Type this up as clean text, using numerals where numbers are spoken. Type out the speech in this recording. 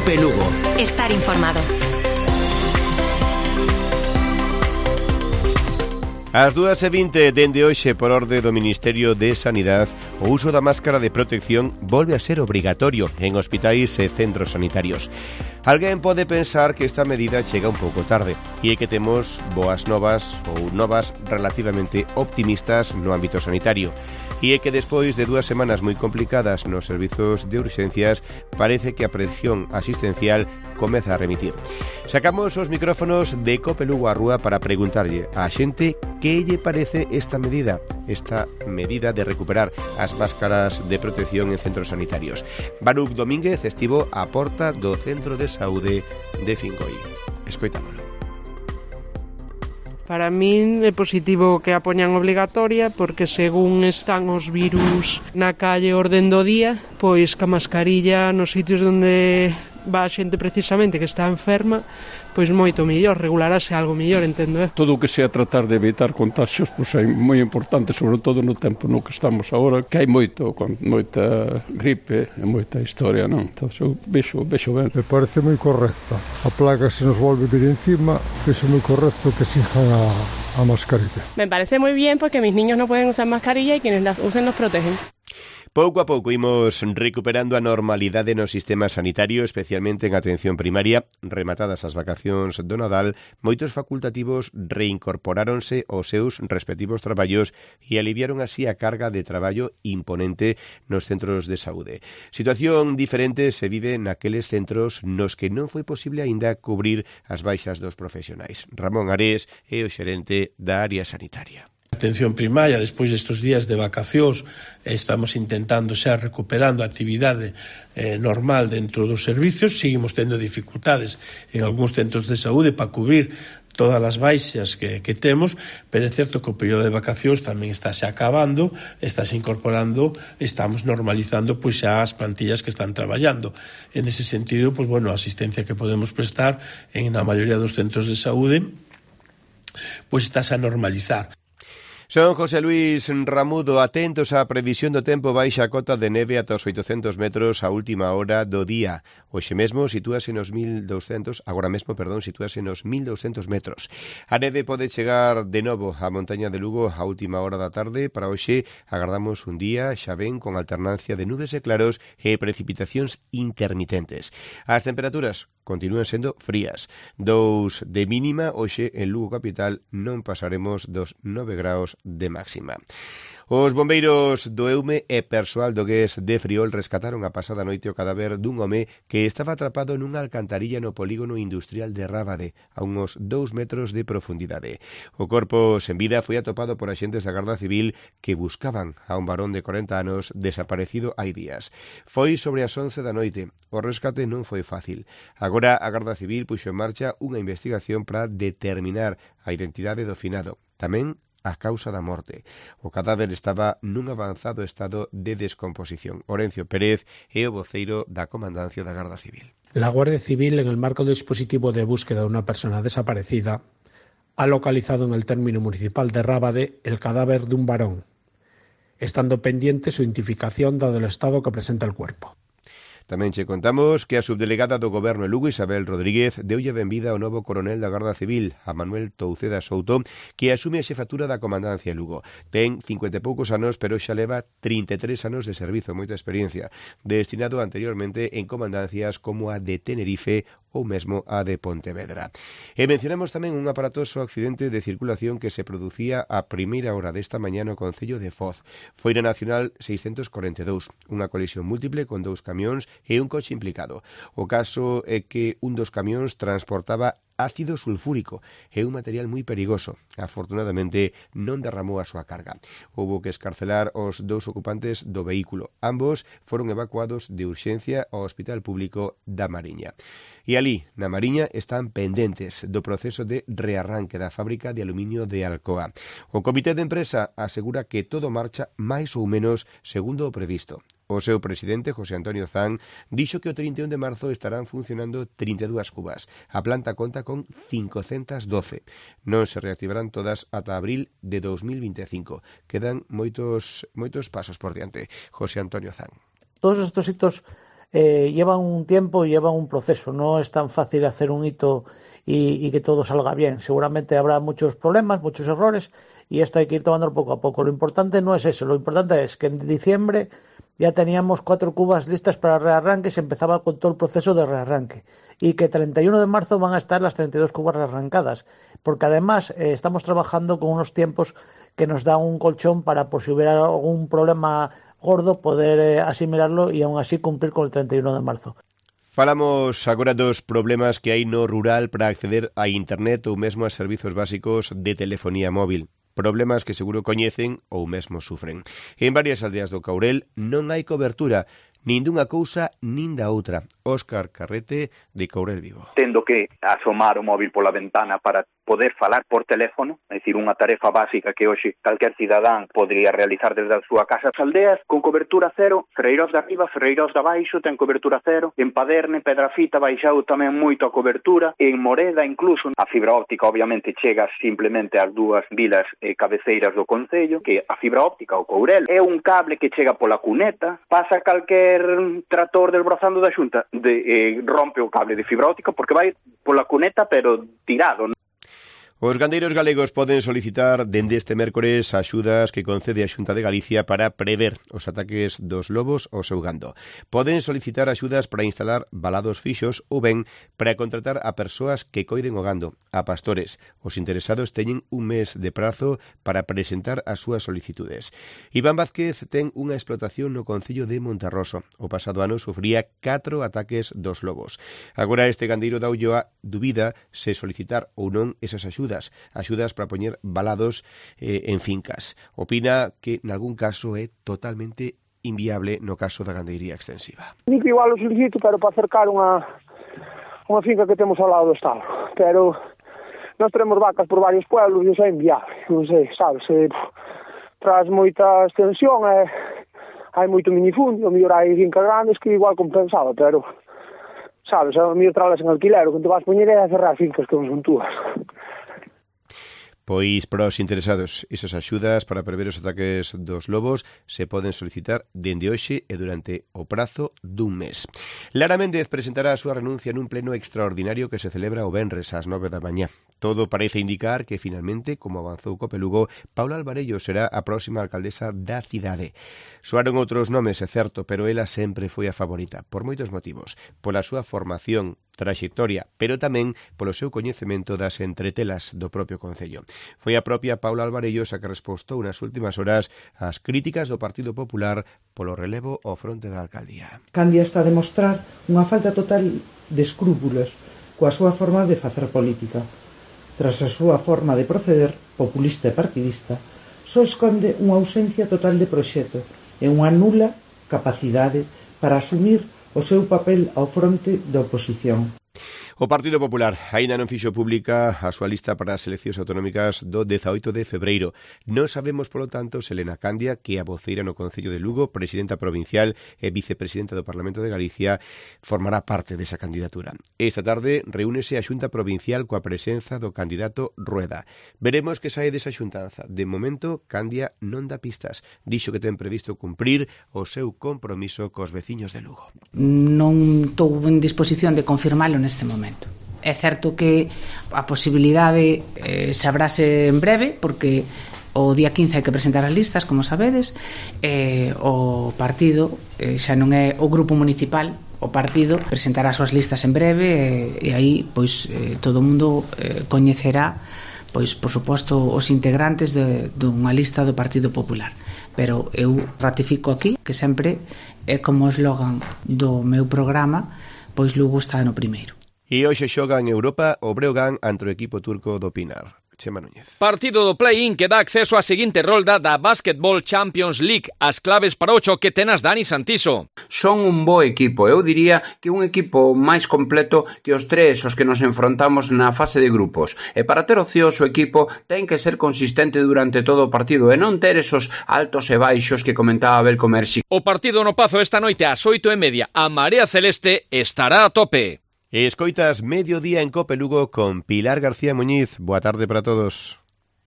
COPE Lugo. Estar informado. Ás 2:20 dende hoxe por orde do Ministerio de Sanidade, o uso da máscara de protección volve a ser obrigatorio en hospitais e centros sanitarios. Alguén pode pensar que esta medida chega un pouco tarde e é que temos boas novas ou novas relativamente optimistas no ámbito sanitario. E é que despois de 2 semanas moi complicadas nos servizos de urxencias, parece que a presión asistencial comeza a remitir. Sacamos os micrófonos de COPE Lugo á rúa para preguntarlle á xente que lle parece esta medida de recuperar as máscaras de protección en centros sanitarios. Baruch Domínguez estivo á porta do Centro de Saúde de Fingoi. Escoitámolo. Para min é positivo que a poñan obrigatoria porque según están os virus na calle orden do día, pois ca mascarilla nos sitios onde va a xente precisamente que está enferma, pois moito mellor, regularase algo mellor, entendo. Todo o que sea tratar de evitar contagios, pois é moi importante, sobre todo no tempo no que estamos agora, que hai moita gripe e moita historia, non? Entón, eu vexo ben. Me parece moi correcta. A plaga se nos volve vir encima, vexo moi correcto que sigan a mascarilla. Me parece moi bien porque mis niños no pueden usar mascarilla y quienes las usen los protegen. Pouco a pouco imos recuperando a normalidade no sistema sanitario, especialmente en atención primaria. Rematadas as vacacións do Nadal, moitos facultativos reincorporáronse aos seus respectivos traballos e aliviaron así a carga de traballo imponente nos centros de saúde. Situación diferente se vive naqueles centros nos que non foi posible aínda cubrir as baixas dos profesionais. Ramón Ares é o xerente da área sanitaria. Atención primaria, despois destes días de vacacións, estamos intentando xa recuperando a actividade normal dentro dos servicios. Seguimos tendo dificultades en algúns centros de saúde para cubrir todas as baixas que temos, pero é certo que o período de vacacións tamén está xa acabando, está xa incorporando, estamos normalizando pois xa as plantillas que están traballando. En ese sentido, pois bueno, a asistencia que podemos prestar en a maioría dos centros de saúde pois está xa a normalizar. Son José Luis Ramudo, atentos á previsión do tempo. Baixa a cota de neve ata os 800 metros a última hora do día. Hoxe mesmo sitúase nos 1200, sitúase nos 1200 metros. A neve pode chegar de novo á montaña de Lugo a última hora da tarde. Para hoxe agardamos un día xa ben con alternancia de nubes e claros e precipitacións intermitentes. As temperaturas continúan sendo frías. 2 de mínima, hoxe en Lugo capital non pasaremos dos 9 graus de máxima. Os bombeiros do Eume e persoal do GES de Friol rescataron a pasada noite o cadáver dun home que estaba atrapado nunha alcantarilla no polígono industrial de Rábade, a uns 2 metros de profundidade. O corpo sen vida foi atopado por axentes da Garda Civil que buscaban a un varón de 40 anos desaparecido hai días. Foi sobre as 11 da noite. O rescate non foi fácil. Agora a Garda Civil puxo en marcha unha investigación para determinar a identidade do finado. Tamén a causa da morte. O cadáver estaba nun avanzado estado de descomposición. Orencio Pérez é o voceiro da Comandancia da Garda Civil. La Guardia Civil, en el marco del dispositivo de búsqueda de una persona desaparecida, ha localizado en el término municipal de Rábade el cadáver de un varón, estando pendiente su identificación dado el estado que presenta el cuerpo. Tamén che contamos que a subdelegada do Goberno de Lugo, Isabel Rodríguez, deulle benvida ao novo coronel da Garda Civil, a Manuel Touceda Souto, que asume a xefatura da Comandancia de Lugo. Ten 50 e poucos anos, pero xa leva 33 anos de servizo, moita experiencia, destinado anteriormente en comandancias como a de Tenerife ou mesmo a de Pontevedra. E mencionamos tamén un aparatoso accidente de circulación que se producía a primeira hora desta mañá no concello de Foz. Foi na Nacional 642, unha colisión múltiple con 2 camións e un coche implicado. O caso é que un dos camións transportaba ácido sulfúrico é un material moi perigoso. Afortunadamente non derramou a súa carga. Houbo que escarcelar os 2 ocupantes do vehículo. Ambos foron evacuados de urxencia ao Hospital Público da Mariña. E alí, na Mariña, están pendentes do proceso de rearranque da fábrica de aluminio de Alcoa. O comité de empresa asegura que todo marcha máis ou menos segundo o previsto. O seu presidente, José Antonio Zan, dixo que o 31 de marzo estarán funcionando 32 cubas. A planta conta con 512. Non se reactivarán todas ata abril de 2025. Quedan moitos pasos por diante. José Antonio Zan. Todos estos hitos llevan un tiempo y llevan un proceso. No es tan fácil hacer un hito y que todo salga bien. Seguramente habrá muchos problemas, muchos errores, y esto hay que ir tomándolo poco a poco. Lo importante no es eso, lo importante es que en diciembre ya teníamos 4 cubas listas para rearranque, se empezaba con todo el proceso de rearranque, y que 31 de marzo van a estar las 32 cubas rearrancadas, porque además estamos trabajando con unos tiempos que nos dan un colchón para, por si hubiera algún problema gordo, poder asimilarlo y aún así cumplir con el 31 de marzo. Falamos agora dos problemas que hai no rural para acceder a internet ou mesmo a servizos básicos de telefonía móvil. Problemas que seguro coñecen ou mesmo sufren. En varias aldeas do Caurel non hai cobertura, nin dunha cousa nin da outra. Óscar Carrete, de Caurel Vivo. Tendo que asomar o móvil pola ventana para poder falar por teléfono, é dicir, unha tarefa básica que hoxe calquer cidadán podría realizar desde a súa casa. As aldeas con cobertura cero, Ferreiros de arriba, Ferreiros de abaixo ten cobertura cero, en Paderne, Pedrafita baixou tamén moito a cobertura, en Moreda incluso a fibra óptica obviamente chega simplemente ás dúas vilas cabeceiras do concello, que a fibra óptica o Courel é un cable que chega pola cuneta, pasa calquer trator desbrozando da Xunta, rompe o cable de fibra óptica porque vai pola cuneta pero tirado. Os gandeiros galegos poden solicitar dende este mércores axudas que concede a Xunta de Galicia para prever os ataques dos lobos ao seu gando. Poden solicitar axudas para instalar valados fixos ou ben para contratar a persoas que coiden o gando, a pastores. Os interesados teñen un mes de prazo para presentar as súas solicitudes. Iván Vázquez ten unha explotación no concello de Monterroso. O pasado ano sufría 4 ataques dos lobos. Agora este gandeiro da Ulloa dubida se solicitar ou non esas axudas para poñer valados en fincas. Opina que en algún caso é totalmente inviable no caso da gandeiría extensiva. Digo igual o solicito, pero para acercar unha finca que temos ao lado do estado. Pero nós teremos vacas por varios pueblos e iso é inviable. Non sei, sabes, tras moita extensión hai moito minifundio, mellor hai fincas grandes que igual compensaba, pero sabes, a mellor tralas en alquiler, o que te vas poñer é a cerrar fincas que non son túas. Pois para os interesados, esas axudas para prever os ataques dos lobos se poden solicitar dende hoxe e durante o prazo dun mes. Lara Méndez presentará a súa renuncia nun pleno extraordinario que se celebra o venres ás 9 da mañá. Todo parece indicar que finalmente, como avanzou Copelugo, Paula Alvarello será a próxima alcaldesa da cidade. Soaron outros nomes, é certo, pero ela sempre foi a favorita, por moitos motivos. Pola súa formación, traxectoria, pero tamén polo seu coñecemento das entretelas do propio concello. Foi a propia Paula Alvarello a que respostou nas últimas horas ás críticas do Partido Popular polo relevo ao fronte da alcaldía. Candia está a demostrar unha falta total de escrúpulos coa súa forma de facer política. Tras a súa forma de proceder, populista e partidista, só esconde unha ausencia total de proxecto e unha nula capacidade para asumir o seu papel ao fronte da oposición. O Partido Popular aínda non fixo pública a súa lista para as eleccións autonómicas do 18 de febreiro. Non sabemos, polo tanto, se Elena Candia, que é a voceira no Concello de Lugo, presidenta provincial e vicepresidenta do Parlamento de Galicia, formará parte desa candidatura. Esta tarde reúnese a Xunta Provincial coa presenza do candidato Rueda. Veremos que sae desa xuntanza. De momento, Candia non dá pistas. Dixo que ten previsto cumprir o seu compromiso cos veciños de Lugo. Non estou en disposición de confirmalo neste momento. É certo que a posibilidade sabrase en breve, porque o día 15 hai que presentar as listas, como sabedes, o partido xa non é o grupo municipal, o partido presentará as súas listas en breve e aí pois todo o mundo coñecerá pois por suposto os integrantes dunha lista do Partido Popular. Pero eu ratifico aquí que sempre é como o eslogan do meu programa, pois Lugo está no primeiro. E hoxe xoga en Europa o Breogán ante o equipo turco do Pinar. Chema Núñez. Partido do play-in que dá acceso á seguinte rolda da Basketball Champions League. As claves para o choque tenas Dani Santiso. Son un bo equipo, eu diría que un equipo máis completo que os tres os que nos enfrontamos na fase de grupos. E para ter ocioso o equipo ten que ser consistente durante todo o partido e non ter esos altos e baixos que comentaba Belko Mersi. O partido no Pazo esta noite ás 8:30. A Marea Celeste estará a tope. Escoitas Mediodía en Cope Lugo con Pilar García Muñiz. Boa tarde para todos.